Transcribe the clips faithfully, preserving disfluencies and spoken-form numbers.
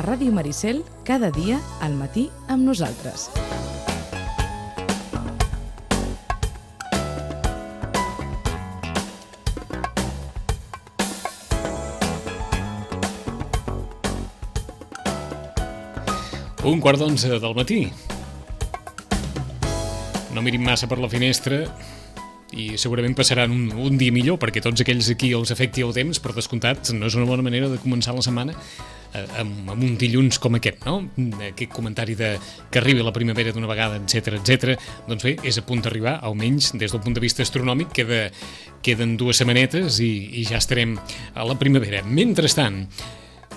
Ràdio Maricel, cada dia al matí amb nosaltres. Un quart d'onze del matí. No mirin massa per la finestra i segurament passaran un, un dia millor, perquè tots aquells a qui els afecti el temps, per descomptat, no és una bona manera de començar la setmana eh, amb, amb un dilluns com aquest, no? Aquest comentari de que arribi la primavera d'una vegada, etcètera, etcètera. Doncs bé, és a punt d'arribar, almenys des del punt de vista astronòmic, queda, queden dues setmanetes i, i ja estarem a la primavera. Mentrestant,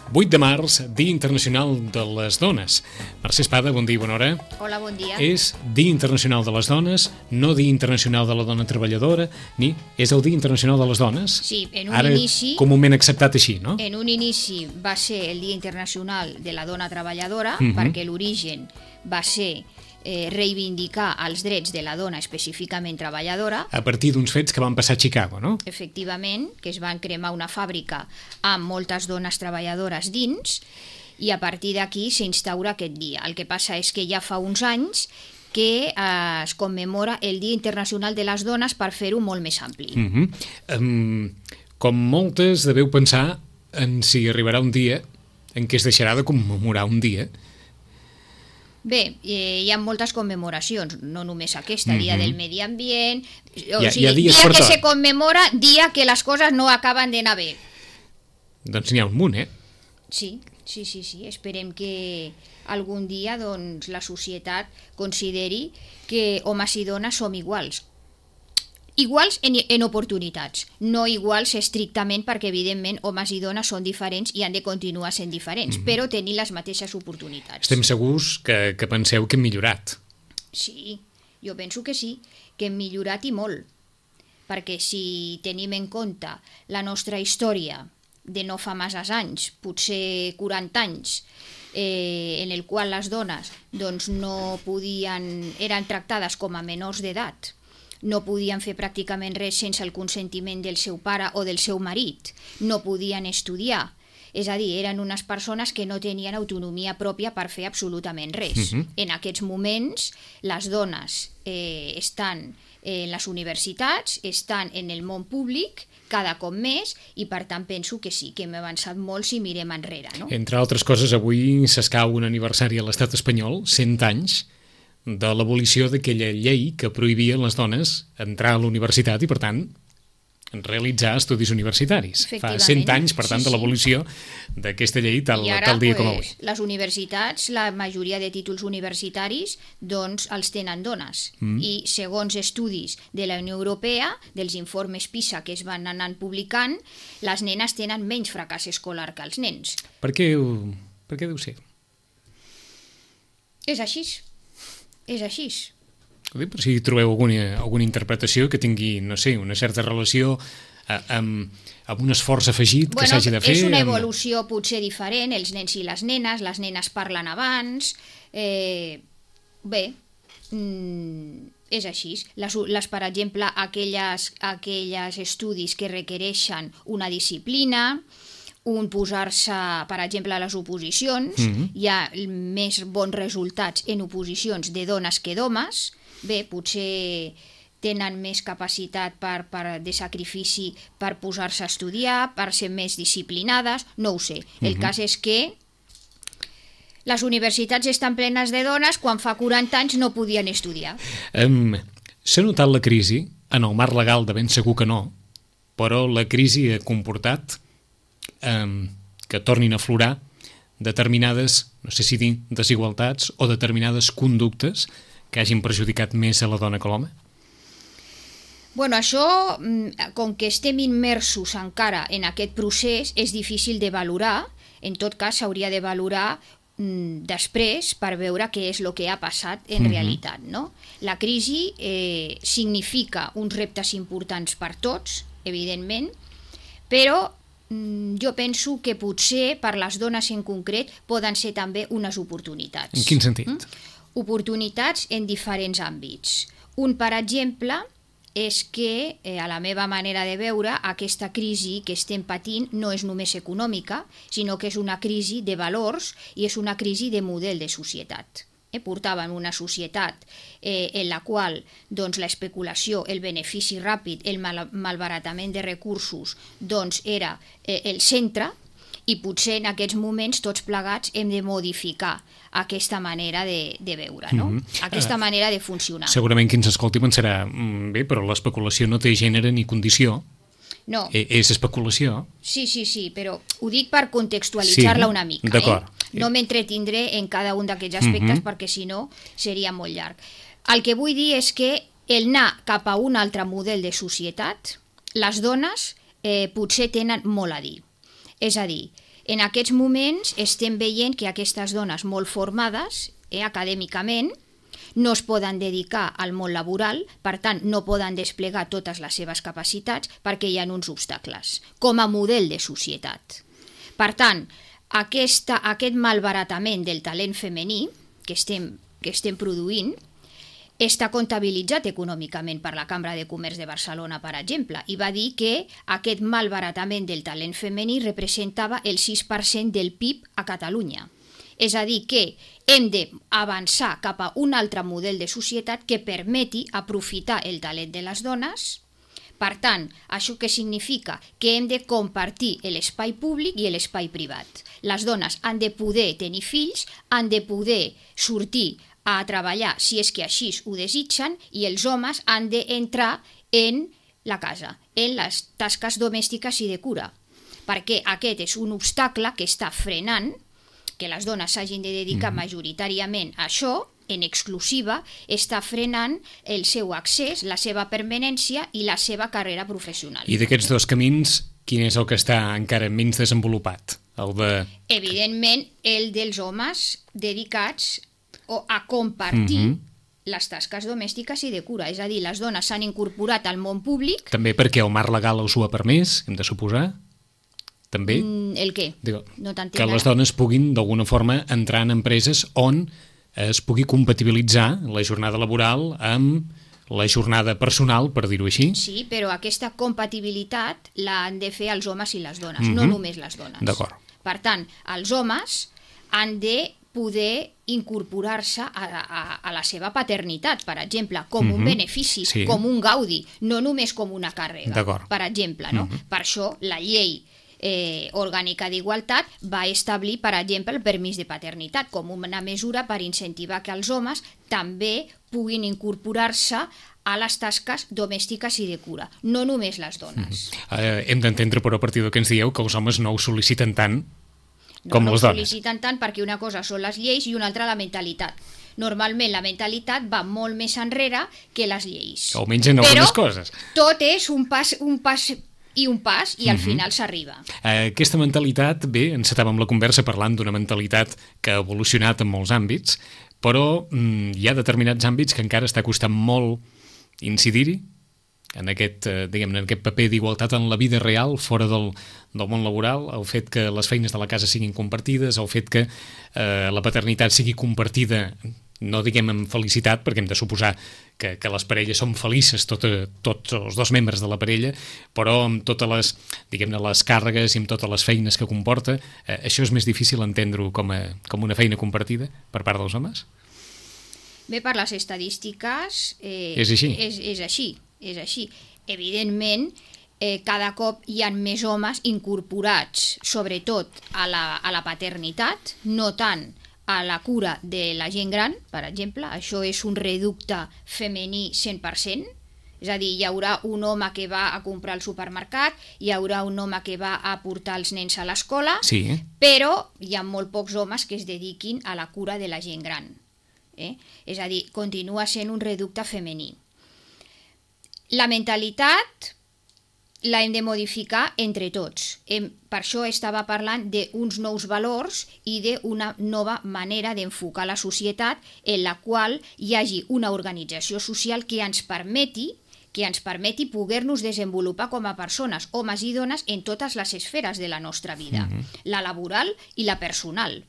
vuit de març, Dia Internacional de les Dones. Mercè Espada, bon dia i bona hora. Hola, bon dia. És Dia Internacional de les Dones, no Dia Internacional de la Dona Treballadora, ni és el Dia Internacional de les Dones. Sí, en un Ara, inici... comúment acceptat així, no? En un inici va ser el Dia Internacional de la Dona Treballadora, Mhm. perquè l'origen va ser eh, reivindicar els drets de la dona específicament treballadora. A partir d'uns fets que van passar a Chicago, no? Efectivament, que es van cremar una fàbrica amb moltes dones treballadores dins, i a partir d'aquí s'instaura aquest dia. El que passa és que ja fa uns anys que eh, es commemora el Dia Internacional de les Dones per fer-ho molt més ampli. Mhm. Um, com moltes deveu pensar en si arribarà un dia en què es deixarà de commemorar un dia. Bé, eh, hi ha moltes commemoracions, no només aquesta, Mhm. Dia del Medi Ambient, o Hi ha- sigui, hi ha dies dia per que tot. se commemora, dia que les coses no acaben d'anar bé. Doncs n'hi ha un munt, eh? Sí, sí, sí, sí, esperem que algun dia doncs, la societat consideri que homes i dones som iguals. Iguals en, en oportunitats, no iguals estrictament perquè, evidentment, homes i dones són diferents i han de continuar sent diferents, però tenir les mateixes oportunitats. Estem segurs que, que penseu que hem millorat. Sí, jo penso que sí, que hem millorat i molt, perquè si tenim en compte la nostra història de no fa massa anys, potser quaranta anys, eh, en el qual les dones doncs, no podien, eren tractades com a menors d'edat, no podien fer pràcticament res sense el consentiment del seu pare o del seu marit, no podien estudiar, és a dir, eren unes persones que no tenien autonomia pròpia per fer absolutament res. Mhm. En aquests moments, les dones eh, estan en les universitats, estan en el món públic, cada cop més, i per tant penso que sí, que hem avançat molt si mirem enrere, no? Entre altres coses, avui s'escau un aniversari a l'estat espanyol, cent anys, de l'abolició d'aquella llei que prohibia a les dones entrar a la universitat i, per tant, realitzar estudis universitaris. Fa Efectivament. cent anys, per tant, Sí, de sí. l'abolició d'aquesta llei tal, I ara, tal dia com avui. pues, les universitats, la majoria de títols universitaris, doncs els tenen dones. Mm. I segons estudis de la Unió Europea, dels informes PISA que es van anant publicant, les nenes tenen menys fracàs escolar que els nens. Per què, ho- per què deu ser? És així. És així. Ho dic per si trobeu alguna, alguna interpretació que tingui, no sé, una certa relació eh, amb, amb un esforç afegit que Bueno, s'hagi de fer. és una amb- evolució potser diferent, els nens i les nenes, les nenes parlen abans, eh, bé, mm, és així. Les, les, per exemple, aquelles, aquelles estudis que requereixen una disciplina, un posar-se, per exemple, a les oposicions, Mhm. hi ha més bons resultats en oposicions de dones que d'homes, bé, potser tenen més capacitat per, per de sacrifici per posar-se a estudiar, per ser més disciplinades, no ho sé. El Mhm. cas és que les universitats estan plenes de dones quan fa quaranta anys no podien estudiar. Um, S'ha notat la crisi, en el marc legal de ben segur que no, però la crisi ha comportat um, que tornin a aflorar determinades, no sé si dir desigualtats o determinades conductes que hagin perjudicat més a la dona que a l'home? Bueno, això, mm, com que estem immersos encara en aquest procés, és difícil de valorar. En tot cas, s'hauria de valorar mm, després per veure què és el que ha passat en Mhm. realitat, no? La crisi eh, significa uns reptes importants per tots, evidentment, però mm, jo penso que potser per les dones en concret poden ser també unes oportunitats. En quin sentit? Mm? Oportunitats en diferents àmbits. Un, per exemple, és que, eh, a la meva manera de veure, aquesta crisi que estem patint no és només econòmica, sinó que és una crisi de valors i és una crisi de model de societat. Eh, portàvem una societat eh, en la qual doncs, l'especulació, el benefici ràpid, el mal malbaratament de recursos doncs, era eh, el centre, i potser en aquests moments tots plegats hem de modificar aquesta manera de, de veure, no? Mm-hmm. aquesta uh, manera de funcionar. Segurament qui ens escolti pensarà, mm, bé, però l'especulació no té gènere ni condició. No. E és especulació. Sí, sí, sí, però ho dic per contextualitzar-la sí, una mica. D'acord. Eh? No m'entretindré en cada un d'aquests aspectes mm-hmm. perquè si no seria molt llarg. El que vull dir és que el anar cap a un altre model de societat, les dones eh, potser tenen molt a dir. És a dir, en aquests moments estem veient que aquestes dones molt formades eh, acadèmicament no es poden dedicar al món laboral, per tant no poden desplegar totes les seves capacitats perquè hi ha uns obstacles, com a model de societat. Per tant, aquesta, aquest malbaratament del talent femení que estem, que estem produint està comptabilitzat econòmicament per la Cambra de Comerç de Barcelona, per exemple, i va dir que aquest malbaratament del talent femení representava el sis per cent del P I B a Catalunya. És a dir, que hem d'avançar cap a un altre model de societat que permeti aprofitar el talent de les dones. Per tant, això què significa? Que hem de compartir l'espai públic i l'espai privat. Les dones han de poder tenir fills, han de poder sortir a treballar si és que així ho desitgen, i els homes han d'entrar en la casa, en les tasques domèstiques i de cura, perquè aquest és un obstacle que està frenant que les dones s'hagin de dedicar mm. majoritàriament a això, en exclusiva, està frenant el seu accés, la seva permanència i la seva carrera professional. I d'aquests dos camins, quin és el que està encara menys desenvolupat? El de... Evidentment, el dels homes dedicats o a compartir mm-hmm. les tasques domèstiques i de cura. És a dir, les dones s'han incorporat al món públic. També perquè el marc legal us ho ha permès, hem de suposar? També? Mm, el què? Digo, no que les dones puguin, d'alguna forma, entrar en empreses on es pugui compatibilitzar la jornada laboral amb la jornada personal, per dir-ho així. Sí, però aquesta compatibilitat l'han de fer els homes i les dones, mm-hmm. no només les dones. D'acord. Per tant, els homes han de poder incorporar-se a, a, a la seva paternitat, per exemple, com mm-hmm. un benefici, sí. com un gaudi, no només com una càrrega, per exemple. No? Mm-hmm. Per això la llei eh, orgànica d'igualtat va establir, per exemple, el permís de paternitat com una mesura per incentivar que els homes també puguin incorporar-se a les tasques domèstiques i de cura, no només les dones. Mm-hmm. eh, hem d'entendre, però, a partir del que ens dieu, que els homes no ho sol·liciten tant com no, les no dones. sol·liciten tant perquè una cosa són les lleis i una altra la mentalitat. Normalment la mentalitat va molt més enrere que les lleis. Almenys en algunes coses. Però tot és un pas, un pas i un pas i al mm-hmm. final s'arriba. Eh, aquesta mentalitat, bé, encetàvem la conversa parlant d'una mentalitat que ha evolucionat en molts àmbits, però mm, hi ha determinats àmbits que encara està costant molt incidir-hi, en aquest, eh, diguem-ne, en aquest paper d'igualtat en la vida real, fora del, del món laboral, el fet que les feines de la casa siguin compartides, el fet que eh, la paternitat sigui compartida, no diguem amb felicitat, perquè hem de suposar que, que les parelles són felices, tot, tots els dos membres de la parella, però amb totes les, diguem-ne, les càrregues i amb totes les feines que comporta, eh, això és més difícil entendre-ho com, a, com una feina compartida per part dels homes? Bé, per les estadístiques eh, és així. És, és així. És així. Evidentment, eh, cada cop hi ha més homes incorporats, sobretot a la, a la paternitat, no tant a la cura de la gent gran, per exemple. Això és un reducte femení cent per cent. És a dir, hi haurà un home que va a comprar al supermercat, hi haurà un home que va a portar els nens a l'escola, sí. però hi ha molt pocs homes que es dediquin a la cura de la gent gran. Eh? És a dir, continua sent un reducte femení. La mentalitat la hem de modificar entre tots. Hem, per això estava parlant d'uns nous valors i d'una nova manera d'enfocar la societat en la qual hi hagi una organització social que ens permeti que ens permeti poder-nos desenvolupar com a persones, homes i dones, en totes les esferes de la nostra vida, mm-hmm. la laboral i la personal.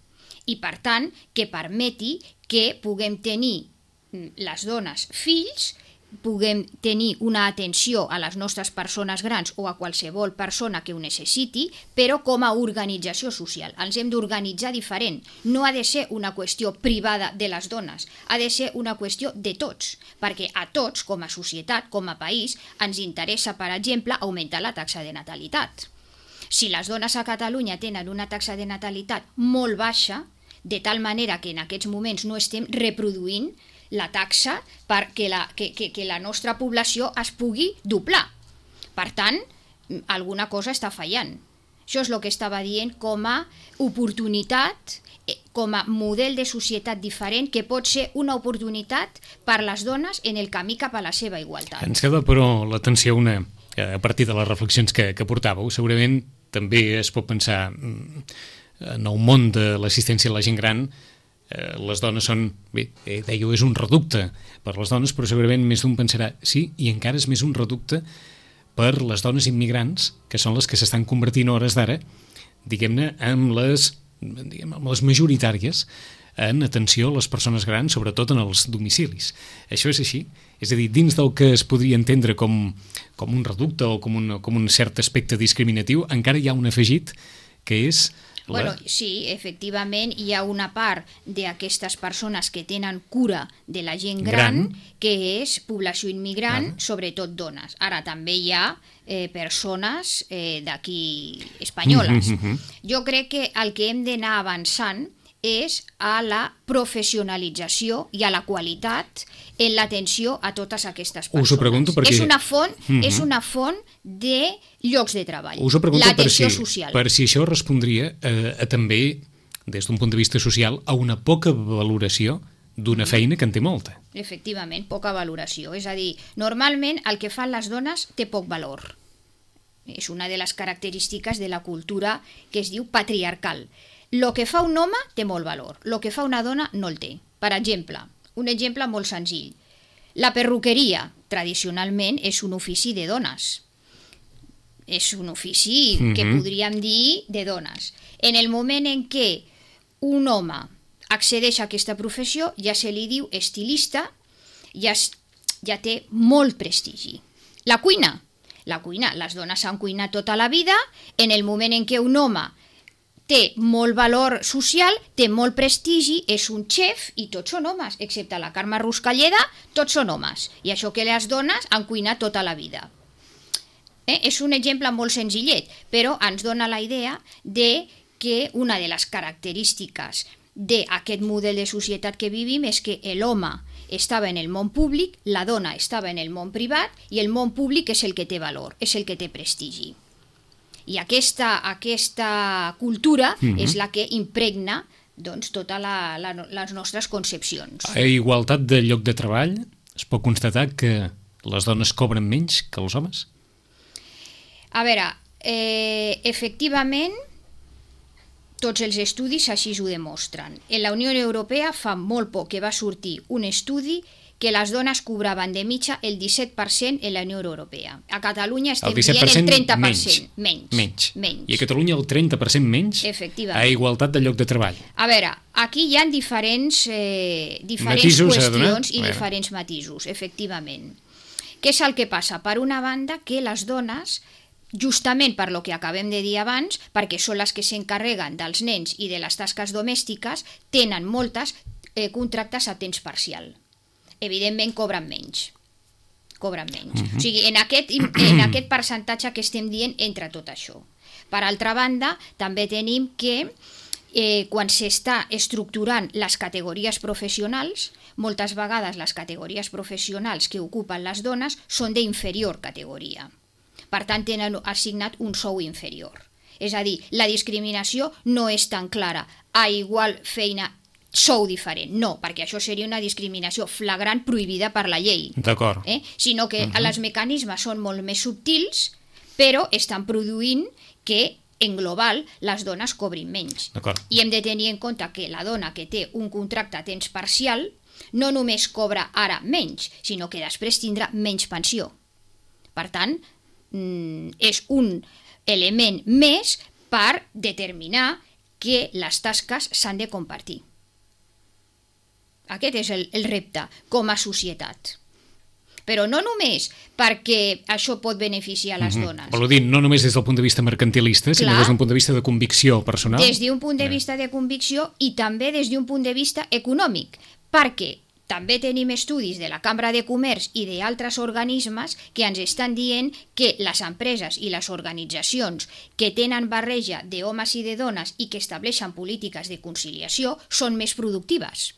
I, per tant, que permeti que puguem tenir les dones fills puguem tenir una atenció a les nostres persones grans o a qualsevol persona que ho necessiti, però com a organització social. Ens hem d'organitzar diferent. No ha de ser una qüestió privada de les dones, ha de ser una qüestió de tots, perquè a tots, com a societat, com a país, ens interessa, per exemple, augmentar la taxa de natalitat. Si les dones a Catalunya tenen una taxa de natalitat molt baixa, de tal manera que en aquests moments no estem reproduint la taxa perquè la, que, que, que la nostra població es pugui doblar. Per tant, alguna cosa està fallant. Això és el que estava dient com a oportunitat, com a model de societat diferent que pot ser una oportunitat per les dones en el camí cap a la seva igualtat. Ens queda, però, l'atenció una, a partir de les reflexions que, que portàveu. Segurament també es pot pensar en el món de l'assistència a la gent gran. Eh, les dones són, bé, eh, dèieu, és un reducte per les dones, però segurament més d'un pensarà, sí, i encara és més un reducte per les dones immigrants, que són les que s'estan convertint a hores d'ara, diguem-ne, amb les, diguem, amb les majoritàries en atenció a les persones grans, sobretot en els domicilis. Això és així? És a dir, dins del que es podria entendre com, com un reducte o com un, com un cert aspecte discriminatiu, encara hi ha un afegit que és... La... Bueno, sí, efectivament hi ha una part d'aquestes persones que tenen cura de la gent gran, gran. que és població immigrant, gran. sobretot dones. Ara també hi ha eh, persones eh, d'aquí espanyoles. Mm -hmm. Jo crec que el que hem d'anar avançant és a la professionalització i a la qualitat en l'atenció a totes aquestes persones. Us ho pregunto perquè... És una font, mm -hmm. és una font de llocs de treball. Us ho pregunto per si, social. per si això respondria a, a també, des d'un punt de vista social, a una poca valoració d'una feina que en té molta. Efectivament, poca valoració. És a dir, normalment el que fan les dones té poc valor. És una de les característiques de la cultura que es diu patriarcal. Lo que fa un home té molt valor, lo que fa una dona no el té. Per exemple, un exemple molt senzill. La perruqueria, tradicionalment, és un ofici de dones. És un ofici mm-hmm. que podríem dir de dones. En el moment en què un home accedeix a aquesta professió, ja se li diu estilista, ja, ja té molt prestigi. La cuina. La cuina, les dones han cuinat tota la vida, en el moment en què un home té molt valor social, té molt prestigi, és un xef i tots són homes, excepte la Carme Ruscalleda, tots són homes. I això que les dones han cuinat tota la vida. Eh? És un exemple molt senzillet, però ens dona la idea de que una de les característiques d'aquest model de societat que vivim és que l'home estava en el món públic, la dona estava en el món privat i el món públic és el que té valor, és el que té prestigi. I aquesta, aquesta cultura mm-hmm. és la que impregna doncs, totes la, la, les nostres concepcions. A igualtat de lloc de treball, es pot constatar que les dones cobren menys que els homes? A veure, eh, efectivament, tots els estudis així ho demostren. En la Unió Europea fa molt poc que va sortir un estudi que les dones cobraven de mitja el disset per cent en la Unió Europea. A Catalunya estem dient el trenta per cent menys. Menys. menys. I a Catalunya el trenta per cent menys a igualtat de lloc de treball. A veure, aquí hi ha diferents, eh, diferents matisos qüestions i diferents matisos, efectivament. Què és el que passa? Per una banda, que les dones, justament per lo que acabem de dir abans, perquè són les que s'encarreguen dels nens i de les tasques domèstiques, tenen moltes eh, contractes a temps parcial. Evidentment cobren menys. Cobren menys. Uh-huh. O sigui, en aquest, en aquest percentatge que estem dient entra tot això. Per altra banda, també tenim que eh, quan s'està estructurant les categories professionals, moltes vegades les categories professionals que ocupen les dones són d'inferior categoria. Per tant, tenen assignat un sou inferior. És a dir, la discriminació no és tan clara. A igual feina, sou diferent. No, perquè això seria una discriminació flagrant prohibida per la llei. D'acord. Eh? Sinó que uh-huh. els mecanismes són molt més subtils, però estan produint que en global les dones cobrin menys. I hem de tenir en compte que la dona que té un contracte a temps parcial no només cobra ara menys, sinó que després tindrà menys pensió. Per tant, és un element més per determinar que les tasques s'han de compartir. Aquest és el, el repte com a societat. però no només perquè això pot beneficiar les Mm-hmm. dones. Vol dir, no només des del punt de vista mercantilista, sinó Clar. des d'un punt de vista de convicció personal. Des d'un punt de vista de convicció i també des d'un punt de vista econòmic, perquè també tenim estudis de la Cambra de Comerç i d'altres organismes que ens estan dient que les empreses i les organitzacions que tenen barreja d'homes i de dones i que estableixen polítiques de conciliació són més productives.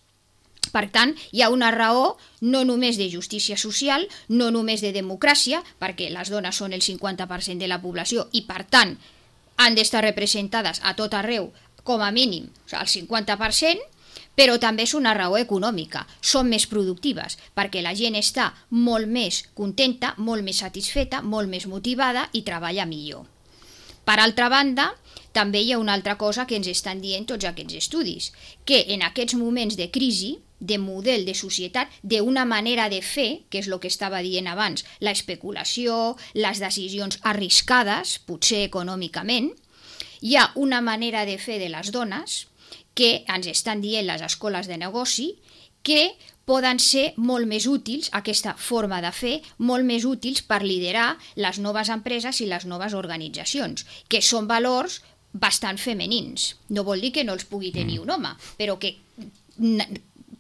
Per tant, hi ha una raó no només de justícia social, no només de democràcia, perquè les dones són el cinquanta per cent de la població i, per tant, han d'estar representades a tot arreu, com a mínim, o sigui, el cinquanta per cent, però també és una raó econòmica. Són més productives, perquè la gent està molt més contenta, molt més satisfeta, molt més motivada i treballa millor. Per altra banda, també hi ha una altra cosa que ens estan dient tots aquests estudis, que en aquests moments de crisi, de model de societat, d'una manera de fer, que és el que estava dient abans, la especulació, les decisions arriscades, potser econòmicament, hi ha una manera de fer de les dones que ens estan dient les escoles de negoci que poden ser molt més útils, aquesta forma de fer, molt més útils per liderar les noves empreses i les noves organitzacions, que són valors bastant femenins. No vol dir que no els pugui tenir un home, però que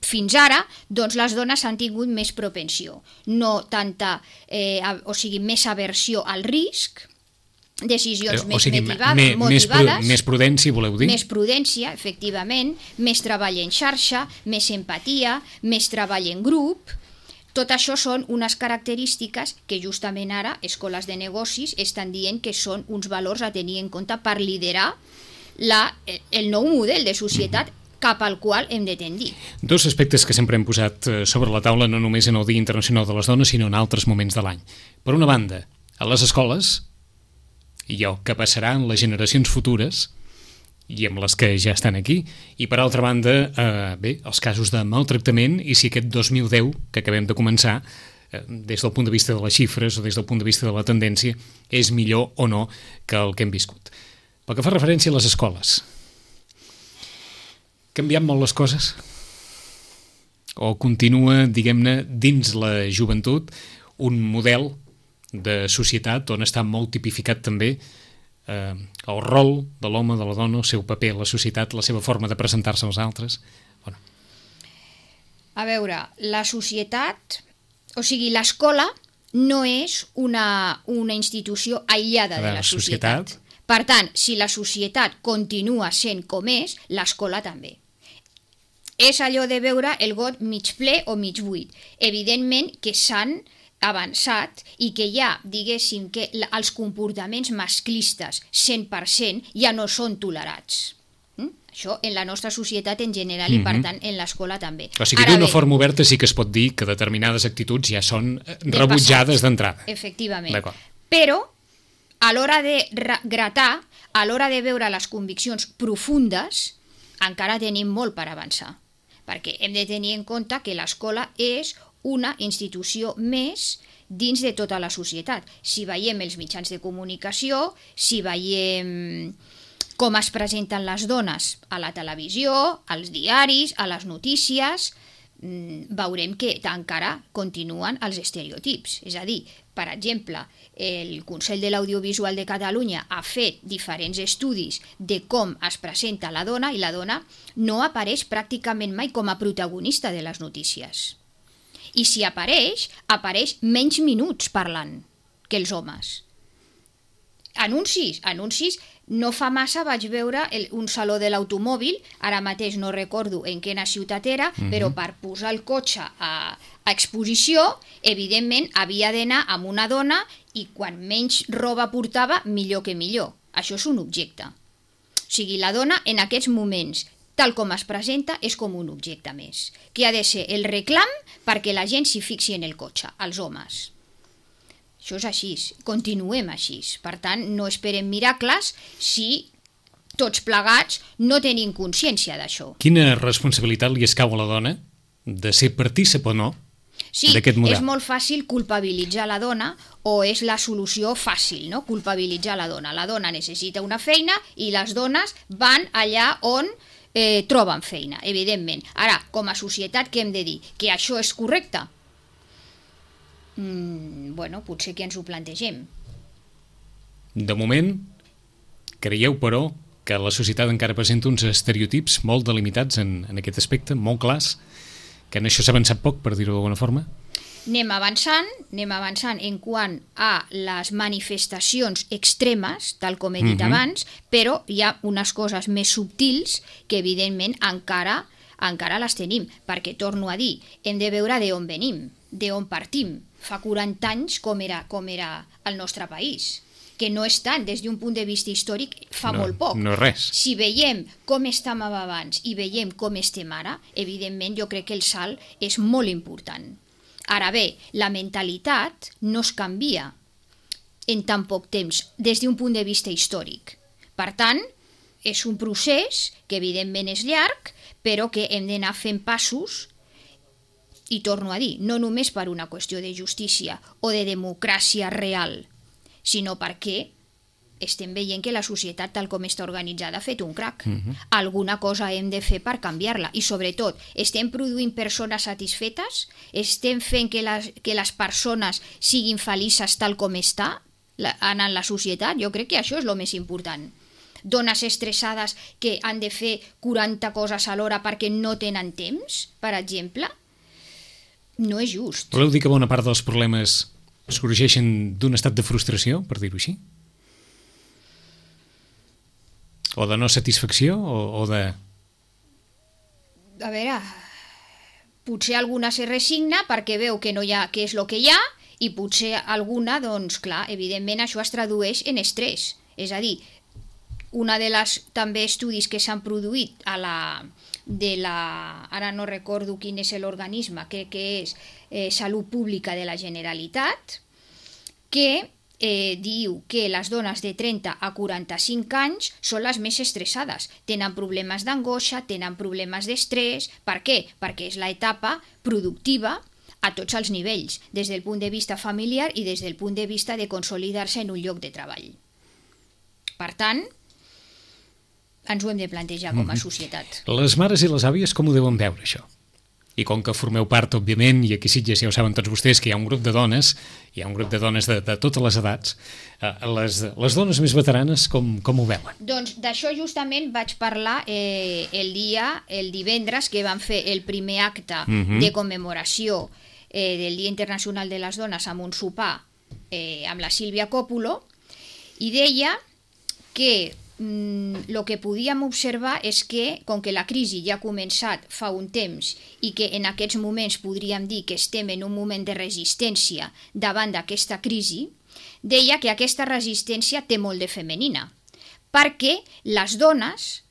fins ara doncs, les dones han tingut més propensió, no tanta, eh, o sigui, més aversió al risc, decisions o més sigui, motivades, me, motivades, més prudència, voleu dir? Més prudència, efectivament, més treball en xarxa, més empatia, més treball en grup. Tot això són unes característiques que justament ara escoles de negocis estan dient que són uns valors a tenir en compte per liderar la, el nou model de societat cap al qual hem de tendir. Dos aspectes que sempre hem posat sobre la taula, no només en el Dia Internacional de les Dones, sinó en altres moments de l'any. Per una banda, a les escoles, i el que passarà en les generacions futures i amb les que ja estan aquí, i per altra banda, eh, bé, els casos de maltractament, i si aquest dos mil deu, que acabem de començar, eh, des del punt de vista de les xifres o des del punt de vista de la tendència, és millor o no que el que hem viscut. Pel que fa referència a les escoles, canviant molt les coses? O continua, diguem-ne, dins la joventut, un model de societat on està molt tipificat també eh, el rol de l'home, de la dona, el seu paper a la societat, la seva forma de presentar-se als altres? Bueno. A veure, la societat, o sigui, l'escola no és una, una institució aïllada de la societat. societat. Per tant, si la societat continua sent com és, l'escola també. És allò de veure el got mig ple o mig buit. Evidentment que s'han avançat i que ja, diguéssim, que els comportaments masclistes cent per cent ja no són tolerats. Mm? Això en la nostra societat en general mm-hmm. i per tant en l'escola també. O sigui, d'una forma oberta sí que es pot dir que determinades actituds ja són rebutjades d'entrada. Efectivament. Però a l'hora de gratar, a l'hora de veure les conviccions profundes, encara tenim molt per avançar. Perquè hem de tenir en compte que l'escola és una institució més dins de tota la societat. Si veiem els mitjans de comunicació, si veiem com es presenten les dones a la televisió, als diaris, a les notícies, veurem que encara continuen els estereotips. És a dir, per exemple, el Consell de l'Audiovisual de Catalunya ha fet diferents estudis de com es presenta la dona i la dona no apareix pràcticament mai com a protagonista de les notícies. I si apareix, apareix menys minuts parlant que els homes. Anuncis, anuncis, no fa massa vaig veure el, un saló de l'automòbil, ara mateix no recordo en quina ciutat era, mm-hmm. però per posar el cotxe a, a exposició, evidentment havia d'anar amb una dona i quan menys roba portava, millor que millor. Això és un objecte. O sigui, la dona en aquests moments, tal com es presenta, és com un objecte més, que ha de ser el reclam perquè la gent s'hi fixi en el cotxe, els homes. Això és així, continuem així. Per tant, no esperem miracles si tots plegats no tenim consciència d'això. Quina responsabilitat li escau a la dona de ser partícip o no sí, d'aquest model? És molt fàcil culpabilitzar la dona o és la solució fàcil, no? Culpabilitzar la dona. La dona necessita una feina i les dones van allà on eh, troben feina, evidentment. Ara, com a societat, què hem de dir? Que això és correcte? Mm, bueno, potser que ens ho plantegem. De moment, creieu, però, que la societat encara presenta uns estereotips molt delimitats en, en aquest aspecte, molt clars, que en això s'ha avançat poc, per dir-ho d'alguna forma? Anem avançant, anem avançant en quant a les manifestacions extremes, tal com he dit Mhm. abans, però hi ha unes coses més subtils que, evidentment, encara, encara les tenim, perquè, torno a dir, hem de veure d'on venim, d'on partim. Fa quaranta anys com era, com era el nostre país, que no és tant, des d'un punt de vista històric, fa No, molt poc. no és res. Si veiem com estàvem abans i veiem com estem ara, evidentment jo crec que el salt és molt important. Ara bé, la mentalitat no es canvia en tan poc temps des d'un punt de vista històric. Per tant, és un procés que evidentment és llarg, però que hem d'anar fent passos, i torno a dir, no només per una qüestió de justícia o de democràcia real, sinó perquè estem veient que la societat tal com està organitzada ha fet un crac. Mhm. Alguna cosa hem de fer per canviar-la i sobretot estem produint persones satisfetes, estem fent que les, que les persones siguin felices tal com està la, en la societat. Jo crec que això és el més important. Dones estressades que han de fer quaranta coses alhora perquè no tenen temps, per exemple, no és just. Voleu dir que bona part dels problemes sorgeixen d'un estat de frustració, per dir-ho així? O de no satisfacció, o, o de... A veure, potser alguna se resigna perquè veu que no hi ha, que és el que hi ha, i potser alguna, doncs clar, evidentment això es tradueix en estrès. És a dir, una de les també estudis que s'han produït a la, de la, ara no recordo quin és l'organisme, crec que és eh, Salut Pública de la Generalitat, que eh, diu que les dones de trenta a quaranta-cinc anys són les més estressades. Tenen problemes d'angoixa, tenen problemes d'estrès. Per què? Perquè és l'etapa productiva a tots els nivells, des del punt de vista familiar i des del punt de vista de consolidar-se en un lloc de treball. Per tant, ens ho hem de plantejar com a societat. Les mares i les àvies com ho deuen veure, això? I com que formeu part, òbviament, i aquí sí ja ho saben tots vostès, que hi ha un grup de dones, hi ha un grup de dones de, de totes les edats, eh, les, les dones més veteranes com, com ho veuen? Doncs d'això justament vaig parlar eh, el dia, el divendres, que vam fer el primer acte Mhm. de commemoració eh, del Dia Internacional de les Dones amb un sopar eh, amb la Sílvia Còpolo, i deia que el que podíem observar és que, com que la crisi ja ha començat fa un temps i que en aquests moments podríem dir que estem en un moment de resistència davant d'aquesta crisi, deia que aquesta resistència té molt de femenina, perquè les dones,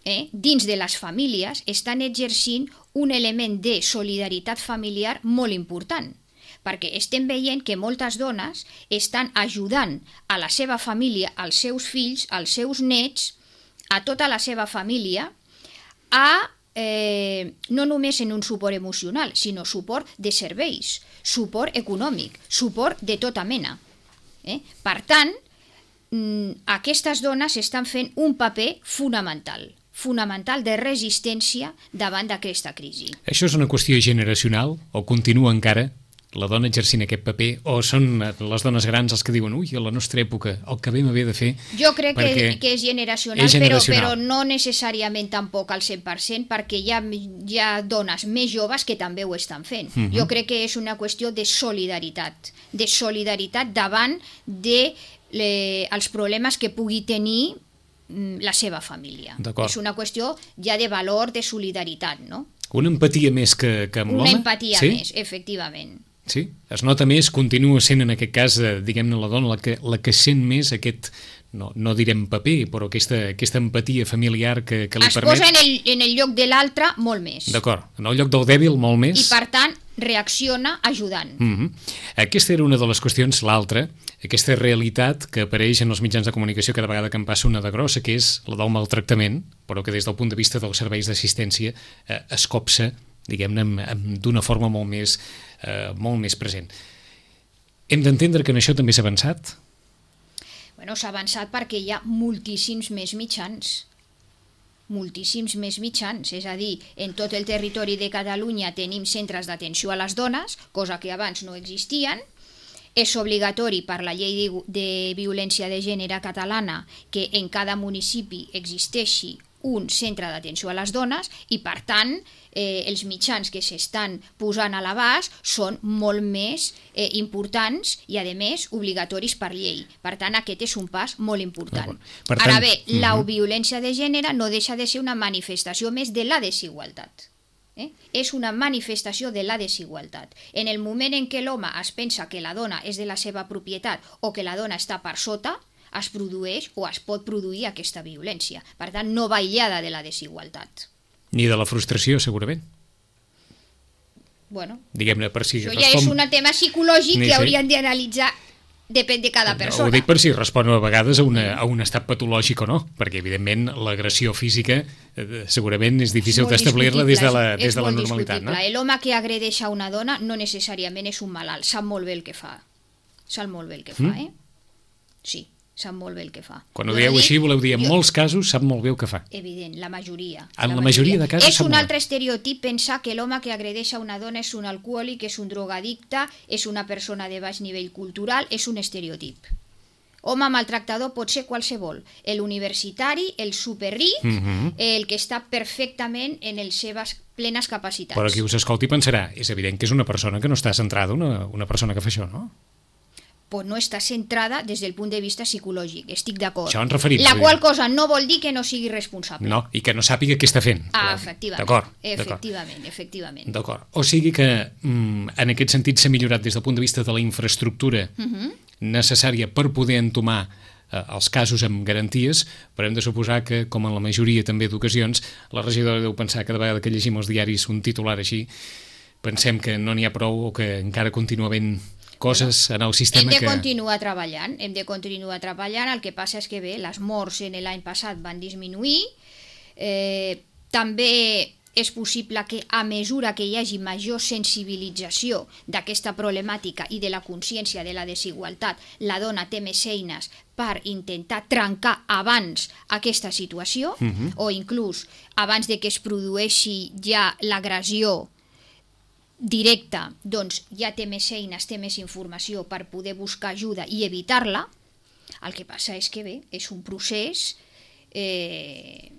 eh, dins de les famílies, estan exercint un element de solidaritat familiar molt important, perquè estem veient que moltes dones estan ajudant a la seva família, als seus fills, als seus nets, a tota la seva família, a eh, no només en un suport emocional, sinó suport de serveis, suport econòmic, suport de tota mena. Eh? Per tant, aquestes dones estan fent un paper fonamental, fonamental de resistència davant d'aquesta crisi. Això és una qüestió generacional o continua encara la dona exercint aquest paper, o són les dones grans els que diuen ui, a la nostra època el que vam haver de fer... Jo crec que, que és generacional, és generacional. Però, però no necessàriament tampoc al cent per cent, perquè hi ha, hi ha dones més joves que també ho estan fent. Uh-huh. Jo crec que és una qüestió de solidaritat, de solidaritat davant de le, els problemes que pugui tenir la seva família. És una qüestió ja de valor, de solidaritat, no? Una empatia més que, que amb l'home? Una empatia sí? més, efectivament. Sí, es nota més, continua sent en aquest cas, eh, diguem-ne, la dona la que, la que sent més aquest, no, no direm paper, però aquesta, aquesta empatia familiar que, que li es permet... Es posa en el, en el lloc de l'altre molt més. D'acord, en el lloc del dèbil molt més. I per tant reacciona ajudant. Mm-hmm. Aquesta era una de les qüestions, l'altra, aquesta realitat que apareix en els mitjans de comunicació cada vegada que em passa una de grossa, que és la del maltractament, però que des del punt de vista dels serveis d'assistència eh, es copsa, diguem-ne, d'una forma molt més, eh, molt més present. Hem d'entendre que en això també s'ha avançat? Bueno, s'ha avançat perquè hi ha moltíssims més mitjans. moltíssims més mitjans, és a dir, en tot el territori de Catalunya tenim centres d'atenció a les dones, cosa que abans no existien. És obligatori per la llei de, de violència de gènere catalana que en cada municipi existeixi un centre d'atenció a les dones i, per tant, eh, els mitjans que s'estan posant a l'abast són molt més eh, importants i, a més, obligatoris per llei. Per tant, aquest és un pas molt important. Per tant, Ara bé, uh-huh. la violència de gènere no deixa de ser una manifestació més de la desigualtat. Eh? És una manifestació de la desigualtat. En el moment en què l'home es pensa que la dona és de la seva propietat o que la dona està per sota, es produeix o es pot produir aquesta violència. Per tant, no va aïllada de la desigualtat. Ni de la frustració, segurament. Bueno, diguem-ne, per si això respon... ja és un tema psicològic Ni que sé. haurien d'analitzar. Depèn de cada persona. Ho dic per si respon a vegades a, una, a un estat patològic o no, perquè evidentment l'agressió física eh, segurament és difícil d'establir-la des de la, des de la normalitat. No? L'home que agredeix a una dona no necessàriament és un malalt, sap molt bé el que fa. Sap molt bé el que fa, Mm. eh? Sí, sap molt bé el que fa. Quan ho Jo dieu no així, dic- voleu dir en jo- molts casos sap molt bé el que fa. Evident, la majoria. En la majoria de casos És sap un molt altre bé. estereotip pensar que l'home que agredeix a una dona és un alcohòlic, és un drogadicte, és una persona de baix nivell cultural, és un estereotip. Home maltractador pot ser qualsevol, l'universitari, el superric, Mhm. el que està perfectament en les seves plenes capacitats. Però qui us escolti pensarà, és evident que és una persona que no està centrada, una, una persona que fa això, no? Pues no està centrada des del punt de vista psicològic, estic d'acord. Això ens referim, La vull qual dir. cosa no vol dir que no sigui responsable. No, i que no sàpiga què està fent. Ah, Però- efectivament. D'acord, d'acord. Efectivament, efectivament. D'acord. O sigui que mm, en aquest sentit s'ha millorat des del punt de vista de la infraestructura Mhm. necessària per poder entomar eh, els casos amb garanties, però hem de suposar que, com en la majoria també d'ocasions, la regidora deu pensar cada vegada que llegim els diaris un titular així, pensem que no n'hi ha prou o que encara continua havent coses en el Hem sistema de que... continuar treballant, hem de continuar treballant, el que passa és que bé, les morts en l'any passat van disminuir, eh, també és possible que a mesura que hi hagi major sensibilització d'aquesta problemàtica i de la consciència de la desigualtat, la dona té més eines per intentar trencar abans aquesta situació, Mhm. o inclús abans de que es produeixi ja l'agressió directa, doncs ja té més eines, té més informació per poder buscar ajuda i evitar-la. El que passa és que bé, és un procés eh,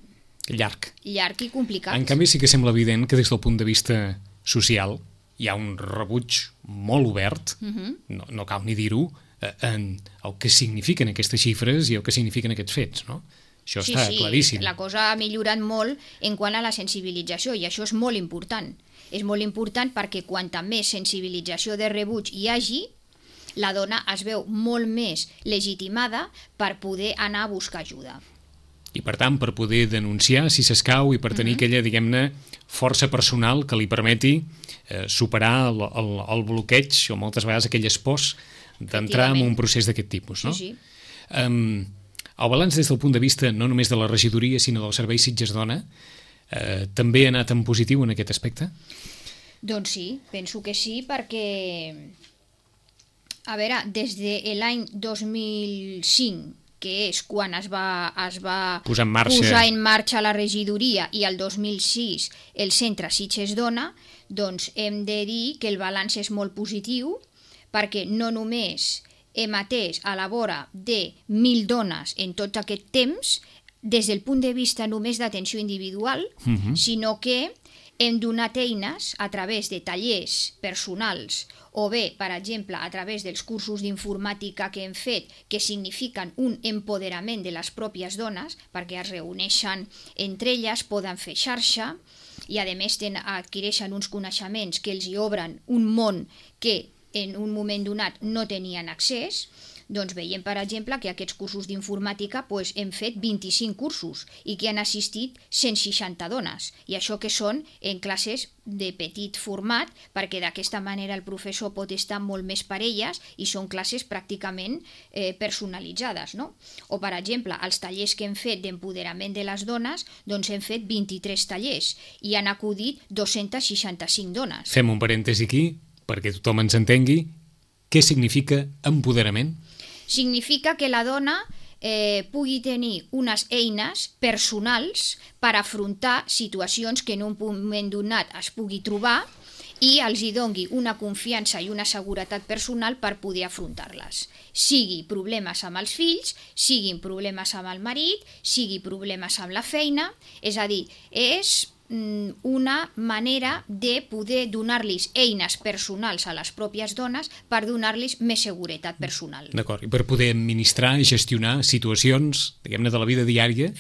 llarg. llarg i complicat. En canvi, sí que sembla evident que des del punt de vista social hi ha un rebuig molt obert, Mhm. no, no cal ni dir-ho, eh, en el que signifiquen aquestes xifres i el que signifiquen aquests fets, no? Això sí, està sí, claríssim. la cosa ha millorat molt en quant a la sensibilització i això és molt important. És molt important perquè quanta més sensibilització de rebuig hi hagi, la dona es veu molt més legitimada per poder anar a buscar ajuda. I per tant, per poder denunciar si s'escau i per tenir Mhm. aquella, diguem-ne, força personal que li permeti eh, superar el, el, el bloqueig o moltes vegades aquelles pors d'entrar en Efectivament. un procés d'aquest tipus, no? Sí, sí. Um, el balanç des del punt de vista no només de la regidoria sinó del Servei Sitges Dona eh, també ha anat en positiu en aquest aspecte? Doncs sí, penso que sí, perquè, a veure, des de l'any dos mil cinc, que és quan es va, es va Posar en marxa. posar en marxa la regidoria, i el dos mil sis el centre Sitges Dona, doncs hem de dir que el balanç és molt positiu, perquè no només hem atès a la vora de mil dones en tot aquest temps, des del punt de vista només d'atenció individual, Mhm. sinó que hem donat eines a través de tallers personals o bé, per exemple, a través dels cursos d'informàtica que hem fet, que signifiquen un empoderament de les pròpies dones, perquè es reuneixen entre elles, poden fer xarxa i, a més, ten, adquireixen uns coneixements que els hi obren un món que en un moment donat no tenien accés. Doncs veiem, per exemple, que aquests cursos d'informàtica doncs, hem fet vint-i-cinc cursos i que han assistit cent seixanta dones. I això que són en classes de petit format, perquè d'aquesta manera el professor pot estar molt més per elles i són classes pràcticament eh, personalitzades, no? O, per exemple, els tallers que hem fet d'empoderament de les dones, doncs hem fet vint-i-tres tallers i han acudit dos-centes seixanta-cinc dones. Fem un parèntesi aquí perquè tothom ens entengui què significa empoderament. Significa que la dona eh, pugui tenir unes eines personals per afrontar situacions que en un moment donat es pugui trobar i els hi doni una confiança i una seguretat personal per poder afrontar-les. Sigui problemes amb els fills, siguin problemes amb el marit, sigui problemes amb la feina, és a dir, és una manera de poder donar-los eines personals a les pròpies dones per donar-los més seguretat personal. D'acord, i per poder administrar i gestionar situacions, diguem-ne, de la vida diària,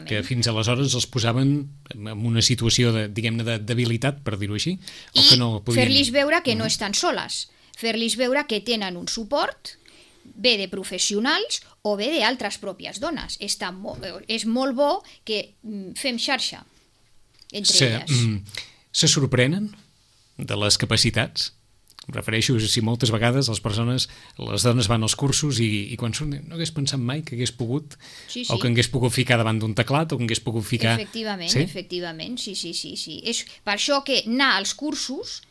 que fins aleshores els posaven en una situació, de, diguem-ne, de debilitat, per dir-ho així, o I que no podien... fer-los veure que no estan soles, fer-los veure que tenen un suport, bé de professionals o bé d'altres pròpies dones. Està mo- és molt bo que fem xarxa entre se, elles. mm, se sorprenen de les capacitats? Em refereixo si moltes vegades les persones, les dones van als cursos i, i quan surten no hagués pensat mai que hagués pogut, Sí, sí. o que hagués pogut ficar davant d'un teclat, o que hagués pogut ficar... Efectivament, sí? efectivament, sí, sí, sí, sí. És per això que anar als cursos,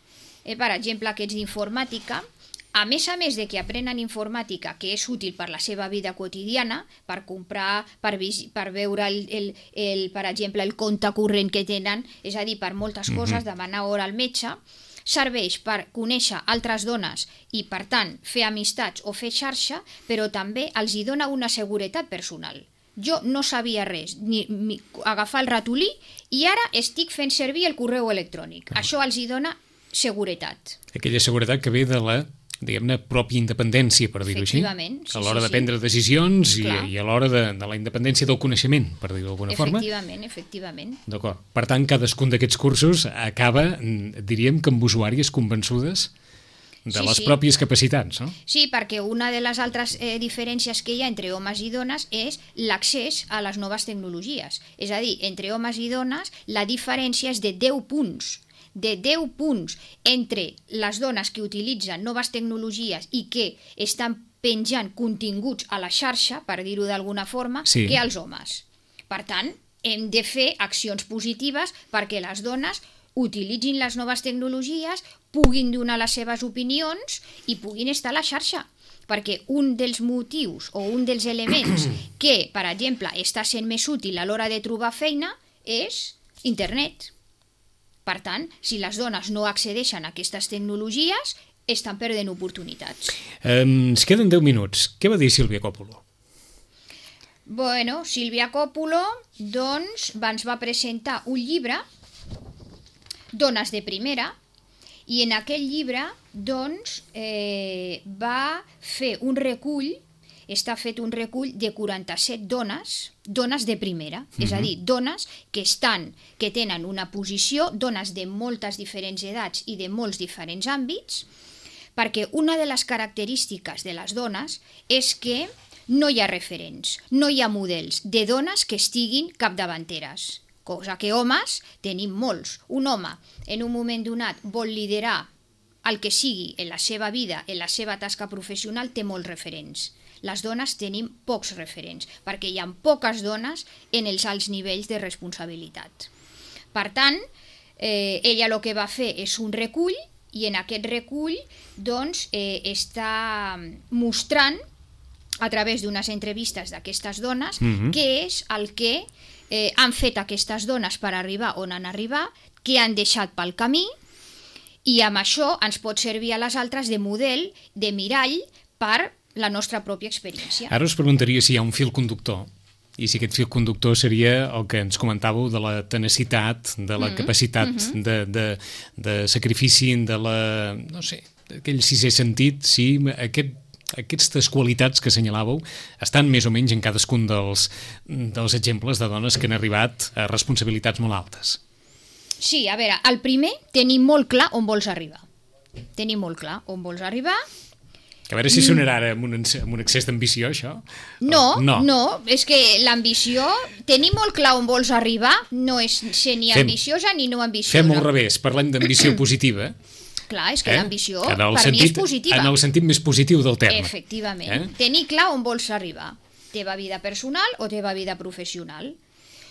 eh, per exemple, aquests d'informàtica, a més a més de que aprenen informàtica, que és útil per la seva vida quotidiana, per comprar, per, vis- per veure, el, el, el, per exemple, el compte corrent que tenen, és a dir, per moltes Mhm. coses, demanar hora al metge, serveix per conèixer altres dones i, per tant, fer amistats o fer xarxa, però també els hi dona una seguretat personal. Jo no sabia res, ni, ni agafar el ratolí, i ara estic fent servir el correu electrònic. Això els hi dona seguretat. Aquella seguretat que ve de la, diguem-ne, pròpia independència, per dir-ho així, Efectivament, sí, a l'hora sí, de sí. prendre decisions i, Clar. i a l'hora de, de la independència del coneixement, per dir-ho d'alguna forma. Efectivament, efectivament. D'acord. Per tant, cadascun d'aquests cursos acaba, mm, diríem, que amb usuàries convençudes de Sí, les sí. pròpies capacitats, no? Sí, perquè una de les altres eh, diferències que hi ha entre homes i dones és l'accés a les noves tecnologies. És a dir, entre homes i dones la diferència és de deu punts. De deu punts entre les dones que utilitzen noves tecnologies i que estan penjant continguts a la xarxa, per dir-ho d'alguna forma, Sí. que els homes. Per tant, hem de fer accions positives perquè les dones utilitzin les noves tecnologies, puguin donar les seves opinions i puguin estar a la xarxa. Perquè un dels motius o un dels elements que, per exemple, està sent més útil a l'hora de trobar feina és internet. Per tant, si les dones no accedeixen a aquestes tecnologies, estan perdent oportunitats. Eh, ens queden deu minuts. Què va dir Sílvia Coppola? Bueno, Sílvia Coppola, doncs, ens va presentar un llibre, Dones de Primera, i en aquell llibre, doncs, eh, va fer un recull, està fet un recull de quaranta-set dones, dones de primera, mm-hmm. és a dir, dones que estan, que tenen una posició, dones de moltes diferents edats i de molts diferents àmbits, perquè una de les característiques de les dones és que no hi ha referents, no hi ha models de dones que estiguin capdavanteres, cosa que homes tenim molts. Un home en un moment donat vol liderar el que sigui en la seva vida, en la seva tasca professional, té molts referents. Les dones tenim pocs referents, perquè hi ha poques dones en els alts nivells de responsabilitat. Per tant, eh, ella el que va fer és un recull, i en aquest recull doncs, eh, està mostrant a través d'unes entrevistes d'aquestes dones Mhm. què és el que eh, han fet aquestes dones per arribar on han arribat, què han deixat pel camí, i amb això ens pot servir a les altres de model, de mirall, per la nostra pròpia experiència. Ara us preguntaria si hi ha un fil conductor, i si aquest fil conductor seria el que ens comentàveu de la tenacitat, de la Mhm, capacitat mhm. de, de, de sacrifici, de la, no sé, aquell sisè sentit, si aquest, aquestes qualitats que assenyalàveu estan més o menys en cadascun dels, dels exemples de dones que han arribat a responsabilitats molt altes. Sí, a veure, el primer, tenir molt clar on vols arribar. Tenir molt clar on vols arribar. Que a veure si sonarà ara amb un, amb un excés d'ambició, això. No, Oh, no, no, és que l'ambició, tenir molt clar on vols arribar no és ser ni Fem- ambiciosa ni no ambiciosa. Fem al revés, parlem d'ambició positiva. Clar, és que Eh? l'ambició En el per mi és sentit- positiva. En el sentit més positiu del terme. Efectivament. Eh? Tenir clar on vols arribar. Teva vida personal o teva vida professional.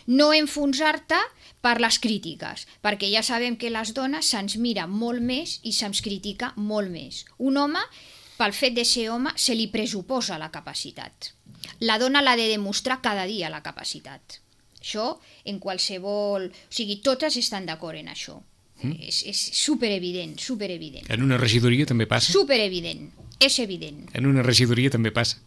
No enfonsar-te per les crítiques, perquè ja sabem que les dones se'ns mira molt més i se'ns critica molt més. Un home, pel fet de ser home, se li pressuposa la capacitat. la dona l'ha de demostrar cada dia, la capacitat. Això, en qualsevol... O sigui, totes estan d'acord en això. Mm. És, és superevident, superevident. En una regidoria també passa? Superevident, és evident. En una regidoria també passa?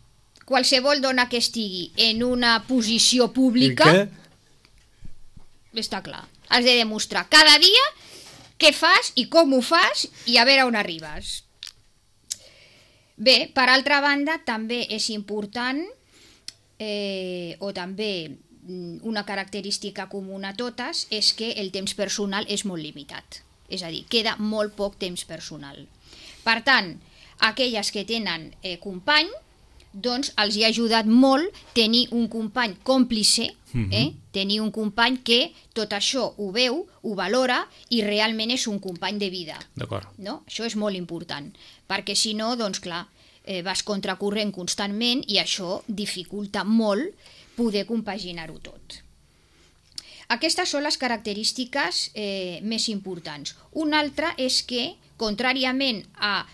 Qualsevol dona que estigui en una posició pública... Que... Està clar. Has de demostrar cada dia què fas i com ho fas i a veure on arribes. Bé, per altra banda, també és important, eh, o també una característica comuna a totes, és que el temps personal és molt limitat. És a dir, queda molt poc temps personal. Per tant, aquelles que tenen eh, company, doncs els hi ha ajudat molt tenir un company còmplice, eh? tenir un company que tot això ho veu, ho valora i realment és un company de vida. D'acord. No? Això és molt important, perquè si no, doncs clar, eh, vas contracorrent constantment i això dificulta molt poder compaginar-ho tot. Aquestes són les característiques eh, més importants. Una altra és que, contràriament a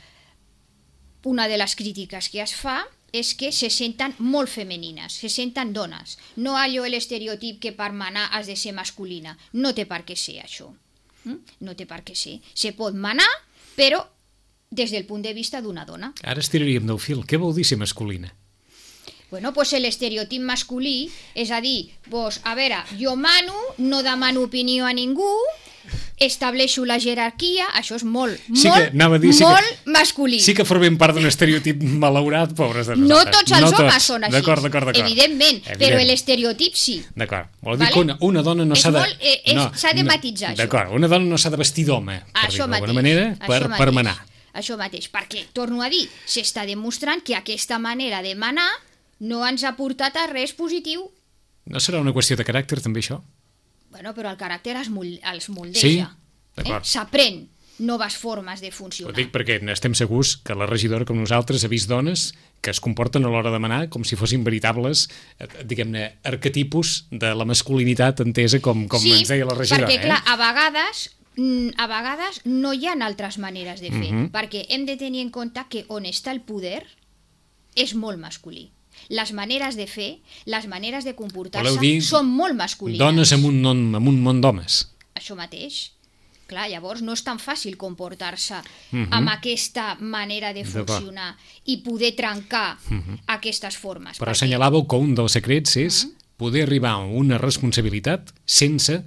una de les crítiques que es fa, és que se senten molt femenines, se senten dones. No allò l'estereotip que per manar has de ser masculina. No té per què ser això. No té per què ser. Se pot manar, però des del punt de vista d'una dona. Ara estiraríem del fil. Què vol dir ser masculina? Bueno, pues l'estereotip masculí, és a dir, pues, a veure, jo mano, no demano opinió a ningú, estableixo la jerarquia, això és molt, sí molt, dir, sí molt que, masculí. Sí que formem part d'un estereotip malaurat, pobres de nosaltres. No tots els no homes tots. són així, d'acord, d'acord, d'acord. Evidentment, Evident. però l'estereotip sí. D'acord, vol dir vale? que una, una dona no s'ha de... Molt, eh, és, no, s'ha de no, matitzar, això. D'acord, una dona no s'ha de vestir d'home, per dir-ho d'alguna manera, per, per manar. Això mateix, perquè, torno a dir, s'està demostrant que aquesta manera de manar no ens ha portat a res positiu. No serà una qüestió de caràcter, també, això? Bueno, però el caràcter es mol, els moldeja. Sí? Eh? S'aprèn noves formes de funcionar. Ho dic perquè estem segurs que la regidora com nosaltres ha vist dones que es comporten a l'hora de manar com si fossin veritables, diguem-ne, arquetipus de la masculinitat entesa com, com sí, ens deia la regidora. Sí, perquè, clar, eh? a vegades... a vegades no hi ha altres maneres de fer, uh-huh. perquè hem de tenir en compte que on està el poder és molt masculí. Les maneres de fer, les maneres de comportar-se són molt masculines. Dones en un, non, en un món d'homes. Això mateix. Clar, llavors no és tan fàcil comportar-se uh-huh. amb aquesta manera de funcionar i poder trencar uh-huh. aquestes formes. Però perquè... assenyalàveu que un dels secrets és uh-huh. poder arribar a una responsabilitat sense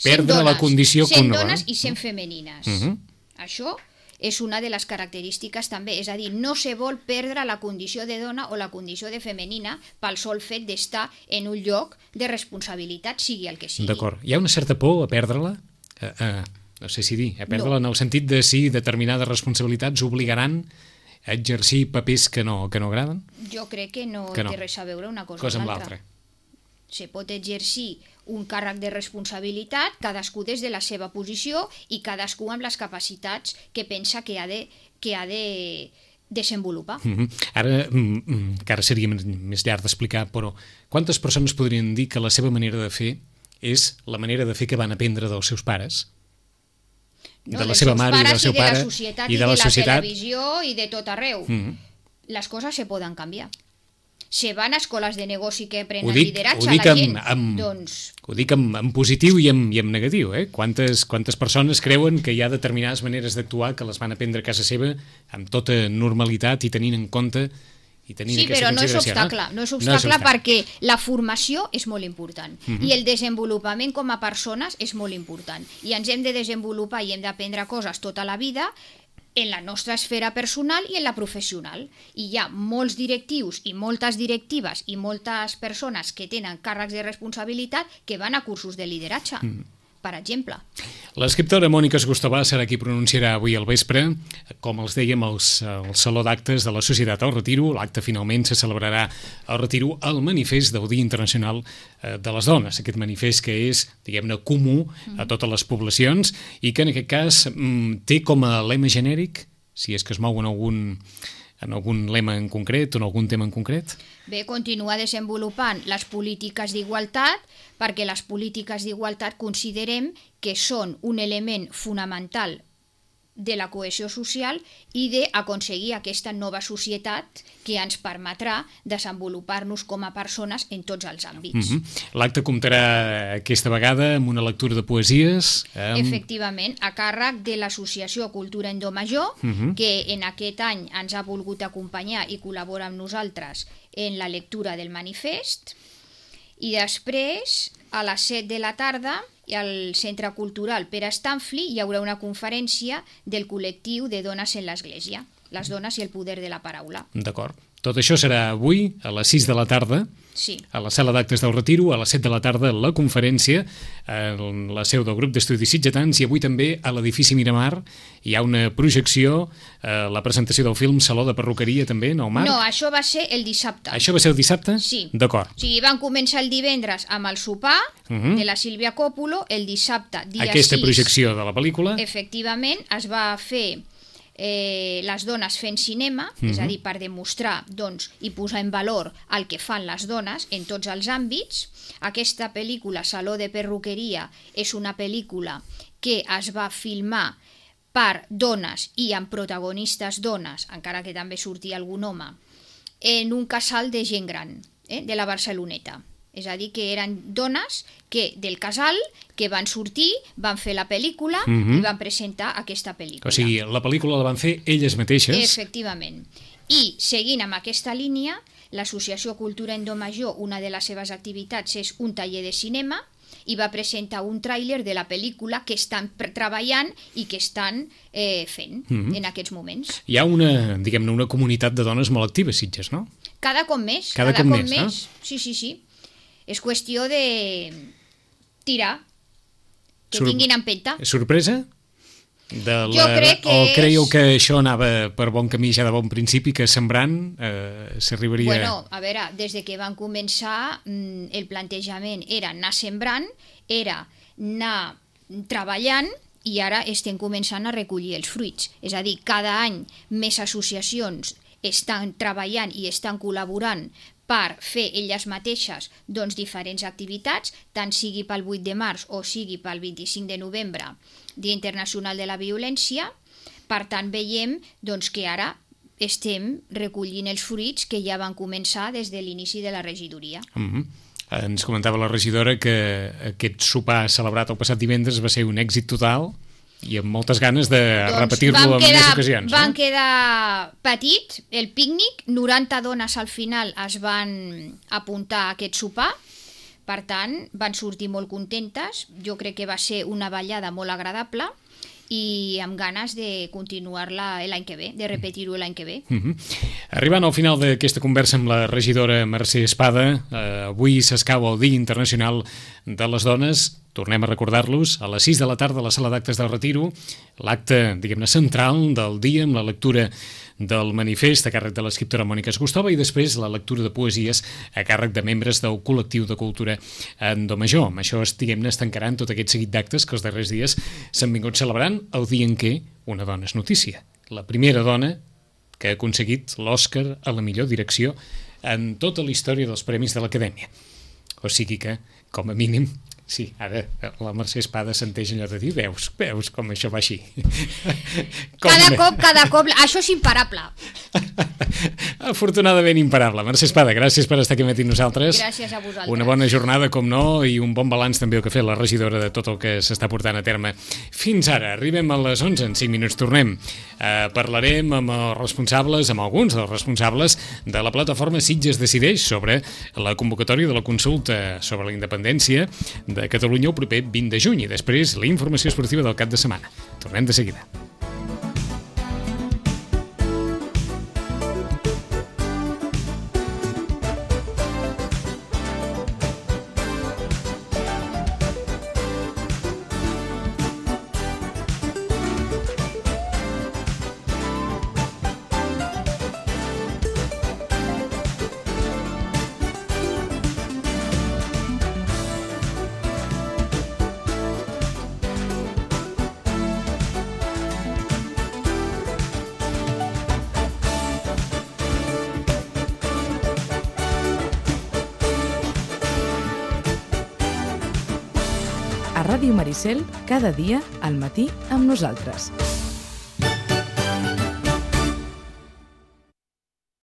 perdre dones, la condició sent que dones i sent femenines. Uh-huh. Això és una de les característiques també, és a dir, no se vol perdre la condició de dona o la condició de femenina pel sol fet d'estar en un lloc de responsabilitat, sigui el que sigui. D'acord. Hi ha una certa por a perdre-la? Uh, uh, no sé si dir, a perdre-la no. En el sentit de si determinades responsabilitats obligaran a exercir papers que no, que no agraden? Jo crec que no, que no té res a veure una cosa, cosa amb l'altra. Se pot exercir un càrrec de responsabilitat, cadascú des de la seva posició i cadascú amb les capacitats que pensa que ha de, que ha de desenvolupar. Mm-hmm. Ara, mm, que ara seria més llarg d'explicar, però quantes persones podrien dir que la seva manera de fer és la manera de fer que van aprendre dels seus pares? No, de la seva mare i del seu pare i de la societat i de la, i de la societat. televisió i de tot arreu. Mm-hmm. Les coses se poden canviar. Se van a escoles de negoci que aprenen dic, lideratge a la gent, amb, amb, doncs... Ho dic en, en positiu i en, i en negatiu, eh? Quantes, quantes persones creuen que hi ha determinades maneres d'actuar que les van aprendre a casa seva amb tota normalitat i tenint en compte i tenint sí, aquesta però no és obstacle, no? no és obstacle, no és obstacle perquè la formació és molt important uh-huh. i el desenvolupament com a persones és molt important i ens hem de desenvolupar i hem d'aprendre coses tota la vida en la nostra esfera personal i en la professional. I hi ha molts directius i moltes directives i moltes persones que tenen càrrecs de responsabilitat que van a cursos de lideratge, mm. per exemple. L'escriptora Mònica Esgostobà serà qui pronunciarà avui al vespre, com els dèiem, els, el Saló d'Actes de la Societat al Retiro. L'acte finalment se celebrarà al Retiro el manifest del Dia Internacional de les Dones, aquest manifest que és, diguem-ne, comú a totes les poblacions i que en aquest cas té com a lema genèric, si és que es mou en algun, en algun lema en concret o en algun tema en concret? Bé, continuar desenvolupant les polítiques d'igualtat, perquè les polítiques d'igualtat considerem que són un element fonamental de la cohesió social i d'aconseguir aquesta nova societat que ens permetrà desenvolupar-nos com a persones en tots els àmbits. Mm-hmm. L'acte comptarà aquesta vegada amb una lectura de poesies. Amb... Efectivament, a càrrec de l'Associació Cultura Endomajor, mm-hmm. que en aquest any ens ha volgut acompanyar i col·labora amb nosaltres en la lectura del manifest. I després, a les set de la tarda, al Centre Cultural Pere Stanfli hi haurà una conferència del col·lectiu de dones en l'Església, les dones i el poder de la paraula. D'acord. Tot això serà avui, a les sis de la tarda, sí. a la sala d'actes del Retiro, a les set de la tarda la conferència, en la seu del grup d'estudis sitgetans, i avui també a l'edifici Miramar hi ha una projecció, eh, la presentació del film Saló de Perruqueria també, no, Marc? No, això va ser el dissabte. Això va ser el dissabte? Sí. D'acord. O sigui, van començar el divendres amb el sopar uh-huh. de la Sílvia Còpolo, el dissabte, dia Aquesta sis, projecció de la pel·lícula. Efectivament, es va fer eh, les dones fent cinema, uh-huh. és a dir, per demostrar doncs, i posar en valor el que fan les dones en tots els àmbits. Aquesta pel·lícula, Saló de Perruqueria, és una pel·lícula que es va filmar per dones i amb protagonistes dones, encara que també sortia algun home, en un casal de gent gran, eh, de la Barceloneta. És a dir, que eren dones que del casal que van sortir, van fer la pel·lícula uh-huh. i van presentar aquesta pel·lícula. O sigui, la pel·lícula la van fer elles mateixes. Efectivament. I, seguint amb aquesta línia, l'Associació Cultura Endomajor, una de les seves activitats és un taller de cinema, i va presentar un tràiler de la pel·lícula que estan treballant i que estan eh, fent uh-huh. en aquests moments. Hi ha una, diguem-ne, una comunitat de dones molt activa, Sitges, no? Cada cop més. Cada, cada cop, cop més, més. No? Sí, sí, sí. És qüestió de tirar, que Sur tinguin empenta. Sorpresa? De la... Jo crec que o és... creieu que això anava per bon camí ja de bon principi, que sembrant eh, s'arribaria... Bueno, a veure, des de que van començar el plantejament era anar sembrant, era anar treballant, i ara estem començant a recollir els fruits. És a dir, cada any més associacions estan treballant i estan col·laborant per fer elles mateixes doncs, diferents activitats, tant sigui pel vuit de març o sigui pel vint-i-cinc de novembre, Dia Internacional de la Violència. Per tant, veiem doncs, que ara estem recollint els fruits que ja van començar des de l'inici de la regidoria. Mm-hmm. Ens comentava la regidora que aquest sopar celebrat el passat divendres va ser un èxit total i amb moltes ganes de doncs repetir-lo en més ocasions. Van no? quedar petit el pícnic, noranta dones al final es van apuntar a aquest sopar, per tant van sortir molt contentes. Jo crec que va ser una ballada molt agradable i amb ganes de continuar-la l'any que ve, de repetir-ho l'any que ve. Mm-hmm. Arribant al final d'aquesta conversa amb la regidora Mercè Espada, eh, avui s'escau el Dia Internacional de les Dones. Tornem a recordar-los, a les sis de la tarda a la sala d'actes del Retiro, l'acte, diguem-ne, central del dia amb la lectura del manifest a càrrec de l'escriptora Mònica Esgustova i després la lectura de poesies a càrrec de membres del col·lectiu de cultura Endomajor. Amb això, diguem-ne, es tancaran tot aquest seguit d'actes que els darrers dies s'han vingut celebrant el dia en què una dona és notícia. La primera dona que ha aconseguit l'Òscar a la millor direcció en tota la història dels Premis de l'Acadèmia. O sigui que, com a mínim, sí, ara la Mercè Espada senteix allò de dir, veus, veus com això va així. Com cada cop, cada cop, això és imparable. Afortunadament imparable. Mercè Espada, gràcies per estar aquí amb nosaltres. Gràcies a vosaltres. Una bona jornada, com no, i un bon balanç també el que ha fet la regidora de tot el que s'està portant a terme. Fins ara, arribem a les onze, en cinc minuts tornem. Eh, parlarem amb els responsables, amb alguns dels responsables de la plataforma Sitges Decideix sobre la convocatòria de la consulta sobre la independència de Catalunya el proper vint de juny i després la informació esportiva del cap de setmana. Tornem de seguida. A Ràdio Maricel, cada dia al matí amb nosaltres.